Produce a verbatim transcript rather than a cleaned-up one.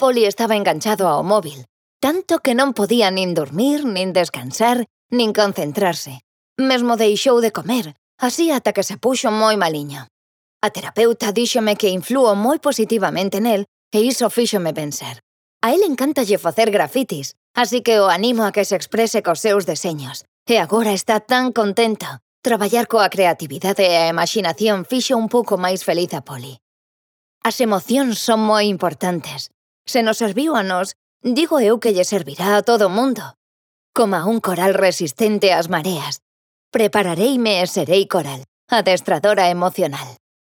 Poli estaba enganchado ao móvil, tanto que non podía nin dormir, nin descansar, nin concentrarse. Mesmo deixou de comer, así ata que se puxo moi maliño. A terapeuta díxome que influo moi positivamente nel e iso fíxome pensar. A él encántalle facer grafitis, así que o animo a que se exprese cos seus deseños. E agora está tan contento. Traballar coa creatividade e a imaxinación fixo un pouco máis feliz a Poli. As emocións son moi importantes. Se nos serviu a nós, digo eu que lle servirá a todo o mundo. Coma un coral resistente ás mareas. Preparareime e serei coral, adestradora emocional.